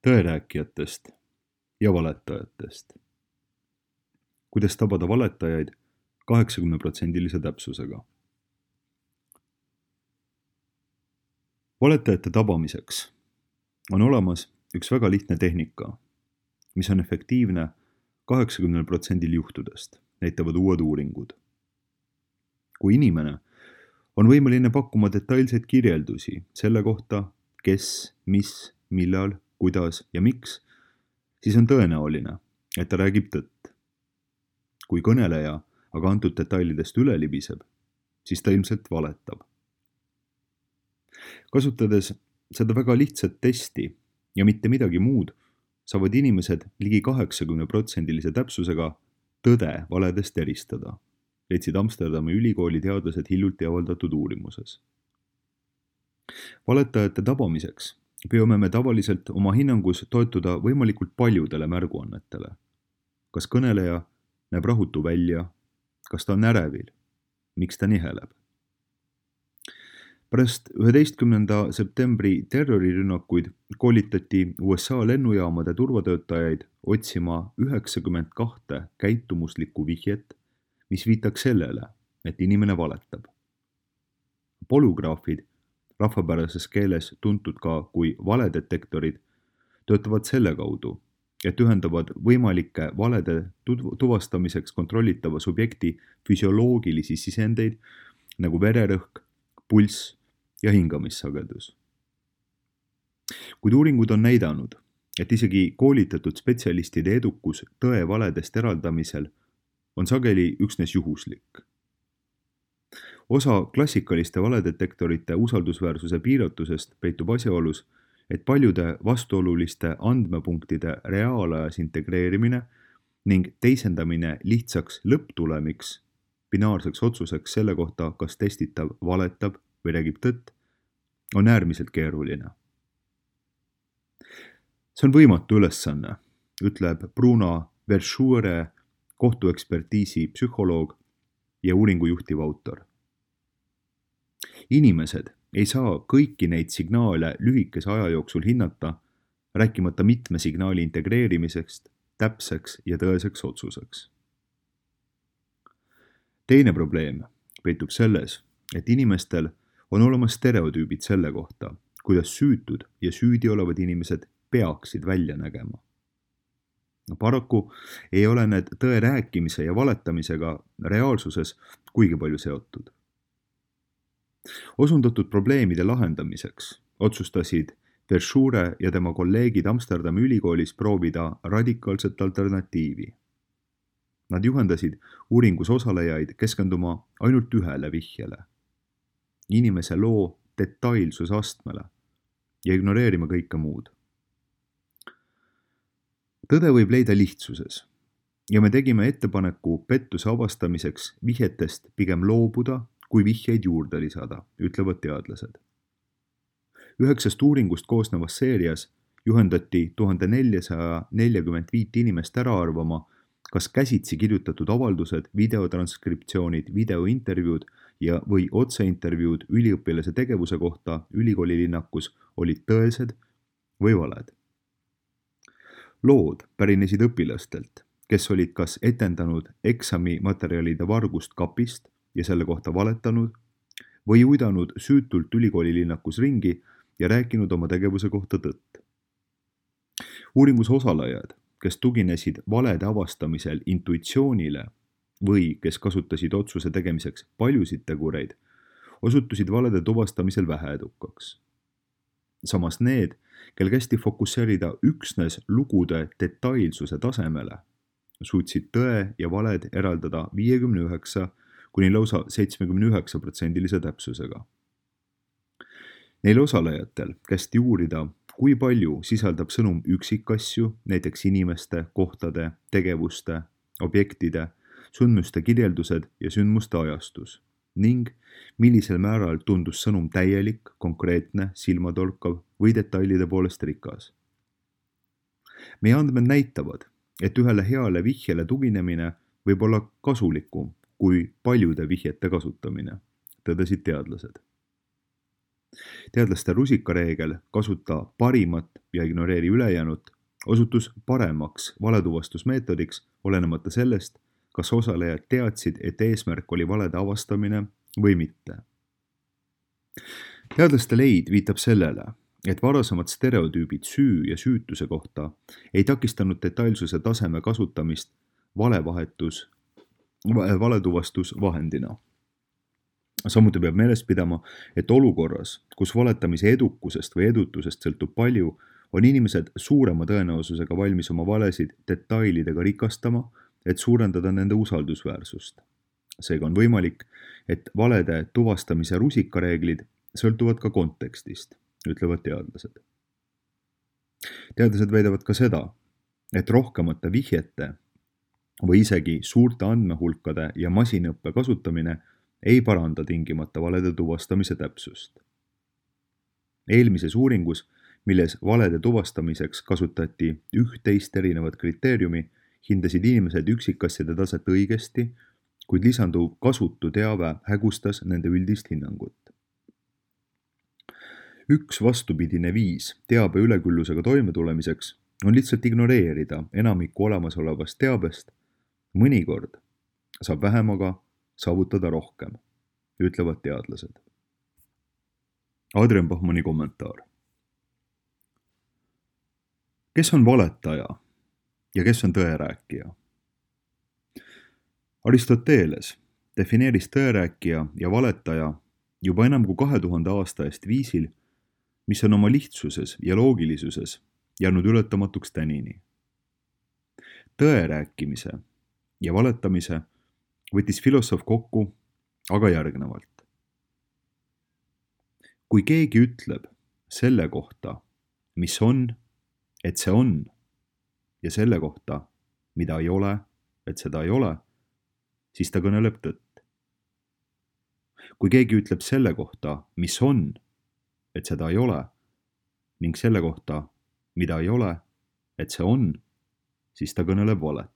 tõerääkijatest ja valetajatest. Kuidas tabada valetajaid 80% täpsusega. Valetajate tabamiseks on olemas üks väga lihtne tehnika, mis on efektiivne 80% juhtudest, näitavad uued uuringud. Kui inimene on võimeline pakkuma detailseid kirjeldusi selle kohta, kes, mis, millal, kuidas ja miks, siis on tõenäoline, et ta räägib tõtt. Kui kõneleja aga antud detailidest üle libiseb, siis ta ilmselt valetab. Kasutades seda väga lihtsat testi ja mitte midagi muud, saavad inimesed ligi 80% täpsusega tõde valedest eristada, leidsid Amsterdami ülikooli teadlased hiljuti avaldatud uurimuses. Valetajate tabamiseks peame me tavaliselt oma hinnangus toetuda võimalikult paljudele märguannetele. Kas kõneleja näeb rahutu välja, kas ta on ärevil, miks ta niheleb. Pärast 11. septembri terrorirünnakuid koolitati USA lennujaamade turvatöötajaid otsima 92 käitumuslikku vihjet, mis viitaks sellele, et inimene valetab. Polügraafid, rahvapärases keeles tuntud ka kui valedetektorid, töötavad selle kaudu, et ühendavad võimalike valede tuvastamiseks kontrollitava subjekti füsioloogilisi sisendeid nagu vererõhk, pulss ja hingamissagedus. Kuid uuringud on näidanud, et isegi koolitatud spetsialistide edukus tõe valedest eraldamisel on sageli üksnes juhuslik. Osa klassikaliste valedetektorite usaldusväärsuse piiratusest peitub asjaolus, et paljude vastuoluliste andmepunktide reaalajas integreerimine ning teisendamine lihtsaks lõpptulemiks, binaarseks otsuseks selle kohta, kas testitav valetab või räägib tõtt, on äärmiselt keeruline. See on võimatu ülesanne, ütleb Bruno Verschuure, kohtuekspertiisi psühholoog ja uuringu juhtiv autor. Inimesed ei saa kõiki neid signaale lühikese aja jooksul hinnata, rääkimata mitme signaali integreerimisest täpseks ja tõeseks otsuseks. Teine probleem peitub selles, et inimestel on olemas stereotüübid selle kohta, kuidas süütud ja süüdi olevad inimesed peaksid välja nägema. Paraku ei ole need tõe rääkimise ja valetamisega reaalsuses kuigi palju seotud. Osundatud probleemide lahendamiseks otsustasid Verschuure ja tema kolleegid Amsterdami ülikoolis proovida radikaalset alternatiivi. Nad juhendasid uuringus osalejaid keskenduma ainult ühele vihjele, inimese loo detailsusastmele ja ignoreerima kõike muud. Tõde võib leida lihtsuses ja me tegime ettepaneku pettuse avastamiseks vihjetest pigem loobuda, kui vihjeid juurde lisada, ütlevad teadlased. 9 uuringust koosnevas seerias juhendati 1445 inimest ära arvama, kas käsitsi kirjutatud avaldused, videotranskriptsioonid, videointervjuud ja või otseintervjuud üliõpilase tegevuse kohta ülikoolilinnakus olid tõesed või valed. Lood pärinesid õpilastelt, kes olid kas etendanud eksamimaterjalide vargust kapist ja selle kohta valetanud või uidanud süütult ülikoolilinnakus ringi ja rääkinud oma tegevuse kohta tõtt. Uuringus osalejad, kes tuginesid valede avastamisel intuitsioonile või kes kasutasid otsuse tegemiseks paljusid tegureid, osutusid valede tuvastamisel väheedukaks. Samas need, kel kästi fokusseerida üksnes lugude detailsuse tasemele, suutsid tõe ja valed eraldada 59 kuni lausa 79% täpsusega. Neil osalejatel kästi uurida, kui palju sisaldab sõnum üksikasju, näiteks inimeste, kohtade, tegevuste, objektide, sündmuste kirjeldused ja sündmuste ajastus ning millisel määral tundus sõnum täielik, konkreetne, silmatorkav või detailide poolest rikas. Meie andmed näitavad, et ühele heale vihjele tuginemine võib olla kasulikum kui paljude vihjete kasutamine, tõdesid teadlased. Teadlaste rusikareegel kasuta parimat ja ignoreeri ülejäänut osutus paremaks valetuvastusmeetodiks, olenemata sellest, kas osalejad teadsid, et eesmärk oli valede avastamine või mitte. Teadlaste leid viitab sellele, et varasemad stereotüübid süü ja süütuse kohta ei takistanud detailsuse taseme kasutamist valetuvastusvahendina. Samuti peab meeles pidama, et olukorras, kus valetamise edukusest või edutusest sõltub palju, on inimesed suurema tõenäosusega valmis oma valesid detailidega rikastama, et suurendada nende usaldusväärsust. Seega on võimalik, et valede tuvastamise rusikareeglid sõltuvad ka kontekstist, ütlevad teadlased. Teadlased väidavad ka seda, et rohkemate vihjete või isegi suurte andmehulkade ja masinõppe kasutamine ei paranda tingimata valede tuvastamise täpsust. Eelmises uuringus, milles valede tuvastamiseks kasutati 11 erinevat kriteeriumi, hindasid inimesed üksikasjade taset õigesti, kuid lisanduv kasutu teave hägustas nende üldist hinnangut. Üks vastupidine viis teabe üleküllusega toimetulemiseks on lihtsalt ignoreerida enamikku olemasolevast teabest. Mõnikord saab vähemaga saavutada rohkem, ütlevad teadlased. Adrian Bachmanni kommentaar. Kes on valetaja ja kes on tõerääkija? Aristoteles defineeris tõerääkija ja valetaja juba enam kui 2000 aasta eest viisil, mis on oma lihtsuses ja loogilisuses jäänud ületamatuks tänini. Tõerääkimise ja valetamise võttis filosoof kokku aga järgnevalt. Kui keegi ütleb selle kohta, mis on, et see on, ja selle kohta, mida ei ole, et seda ei ole, siis ta kõneleb tõtt. Kui keegi ütleb selle kohta, mis on, et seda ei ole, ning selle kohta, mida ei ole, et see on, siis ta kõneleb valet.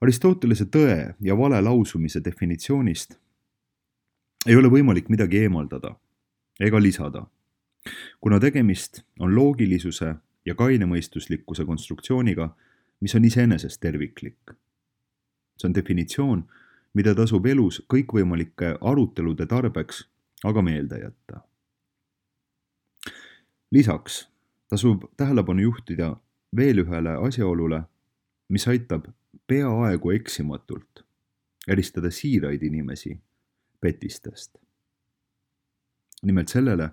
Aristotelese tõe ja vale lausumise definitsioonist ei ole võimalik midagi eemaldada ega lisada, kuna tegemist on loogilisuse ja kainemõistuslikkuse konstruktsiooniga, mis on iseenesest terviklik. See on definitsioon, mida tasub elus kõikvõimalike arutelude tarbeks aga meelde jätta. Lisaks tasub tähelepanu juhtida veel ühele asjaolule, mis aitab peaaegu eksimatult eristada siiraid inimesi petistest. Nimelt sellele,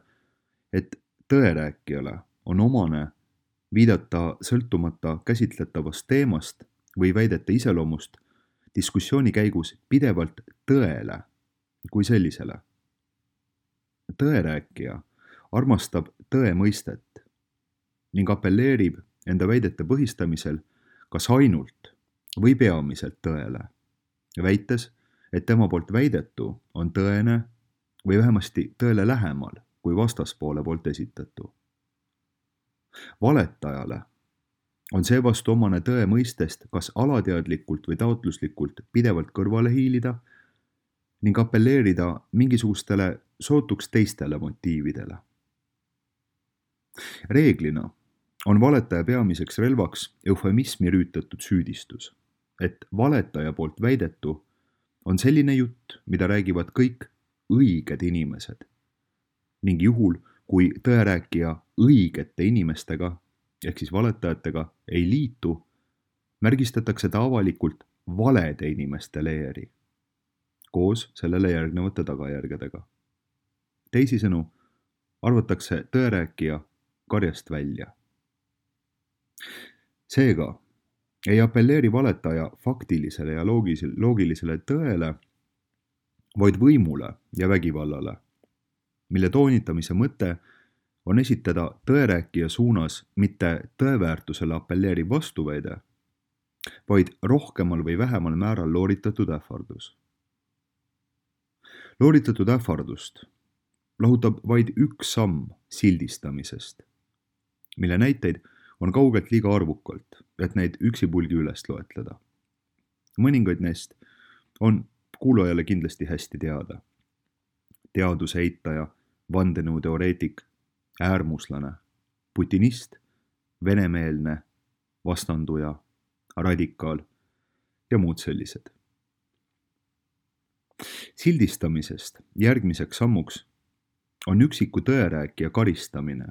et tõerääkijale on omane viidata sõltumata käsitletavast teemast või väidete iseloomust diskussiooni käigus pidevalt tõele kui sellisele. Tõerääkija armastab tõe mõistet ning apelleerib enda väidete põhistamisel kas ainult või peamiselt tõele, väites, et tema poolt väidetu on tõene või vähemasti tõele lähemal kui vastaspoole poolt esitatu. Valetajale on seevastu omane tõe mõistest kas alateadlikult või taotluslikult pidevalt kõrvale hiilida ning apelleerida mingisugustele sootuks teistele motiividele. Reeglina on valetaja peamiseks relvaks eufemismi rüütatud süüdistus, et valetaja poolt väidetu on selline jutt, mida räägivad kõik õiged inimesed ning juhul, kui tõerääkija õigete inimestega ehk siis valetajatega ei liitu, märgistatakse ta avalikult valede inimeste leeri koos sellele järgnevate tagajärgedega. Teisisõnu arvatakse tõerääkija karjast välja. Seega ei apelleeri valetaja faktilisele ja loogilisele tõele, vaid võimule ja vägivallale, mille toonitamise mõte on esitada tõerääkija suunas mitte tõeväärtusele apelleeriv vastuväide, vaid rohkemal või vähemal määral looritatud ähvardus. Looritatud ähvardust lahutab vaid üks samm sildistamisest, mille näiteid on kaugelt liiga arvukalt, et neid üksipulgi üles loetleda. Mõningaid neist on kuulajale kindlasti hästi teada. teaduse eitaja, vandenõuteoreetik, äärmuslane, putinist, venemeelne, vastanduja, radikaal ja muud sellised. Sildistamisest järgmiseks sammuks on üksiku tõerääkija karistamine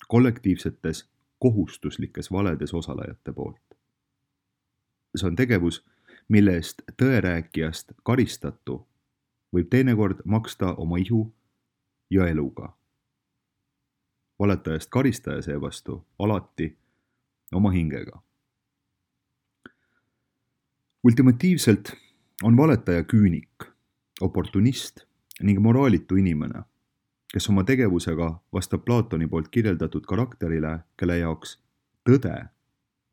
kollektiivsetes kohustuslikes valedes osalejate poolt. See on tegevus, mille eest tõerääkijast karistatu võib teinekord maksta oma ihu ja eluga. Valetajast karistaja seevastu alati oma hingega. Ultimatiivselt on valetaja küünik, oportunist ning moraalitu inimene, kes oma tegevusega vastab Platoni poolt kirjeldatud karakterile, kelle jaoks tõde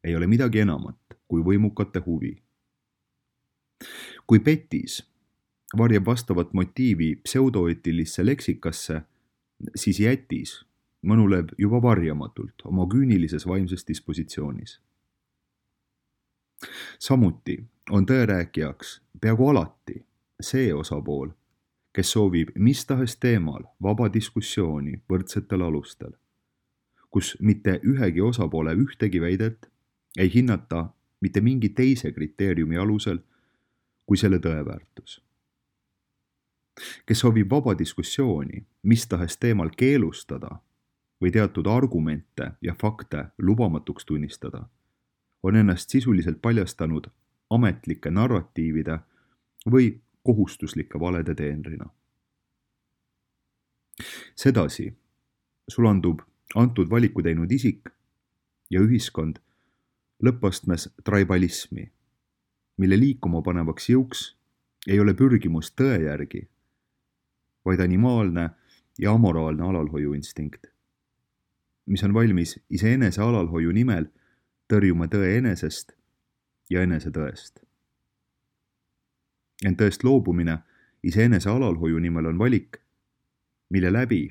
ei ole midagi enamat kui võimukate huvi. Kui petis varjab vastavat motiivi pseudoeetilisse leksikasse, siis jätis mõnuleb juba varjamatult oma küünilises vaimses dispositsioonis. Samuti on tõerääkijaks peaaegu alati see osapool, kes soovib mis tahes teemal vaba diskussiooni võrdsetel alustel, kus mitte ühegi osapoole ühtegi väidet ei hinnata mitte mingi teise kriteeriumi alusel kui selle tõeväärtus. Kes soovib vaba diskussiooni mis tahes teemal keelustada või teatud argumente ja fakte lubamatuks tunnistada, on ennast sisuliselt paljastanud ametlike narratiivide või kohustuslike valede teenrina. Sedasi sulandub antud valiku teinud isik ja ühiskond lõppastmes tribalismi, mille liikuma panevaks jõuks ei ole pürgimus tõe järgi, vaid animaalne ja amoraalne alalhoiuinstinkt, mis on valmis iseenese alalhoiu nimel tõrjuma tõe enesest ja enesetõest. Ent tõest loobumine iseenese alalhoiu nimel on valik, mille läbi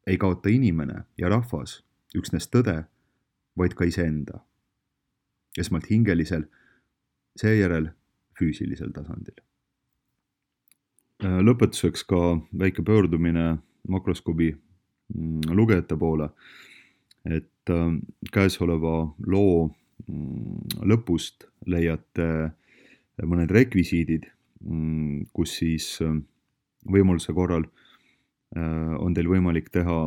ei kaota inimene ja rahvas üksnes tõde, vaid ka iseenda. Esmalt hingelisel, seejärel füüsilisel tasandil. Lõpetuseks ka väike pöördumine makroskoobi lugejate poole, et käesoleva loo lõpust leiate mõned rekvisiidid, kus siis võimaluse korral on teil võimalik teha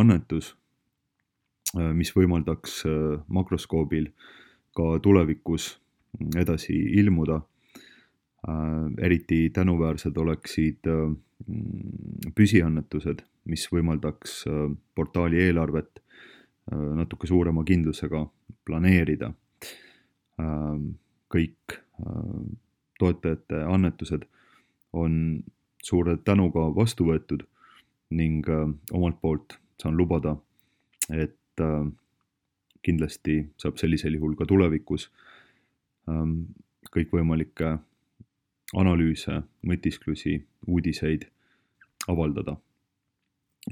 annetus, mis võimaldaks makroskoobil ka tulevikus edasi ilmuda. Eriti tänuväärsed oleksid püsiannetused, mis võimaldaks portaali eelarvet natuke suurema kindlusega planeerida. Kõik toetajate annetused on suure tänuga vastu võetud ning omalt poolt saan lubada, et kindlasti saab sellisel juhul ka tulevikus kõikvõimalikke analüüse, mõtisklusi, uudiseid avaldada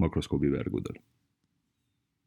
makroskoobi veergudel.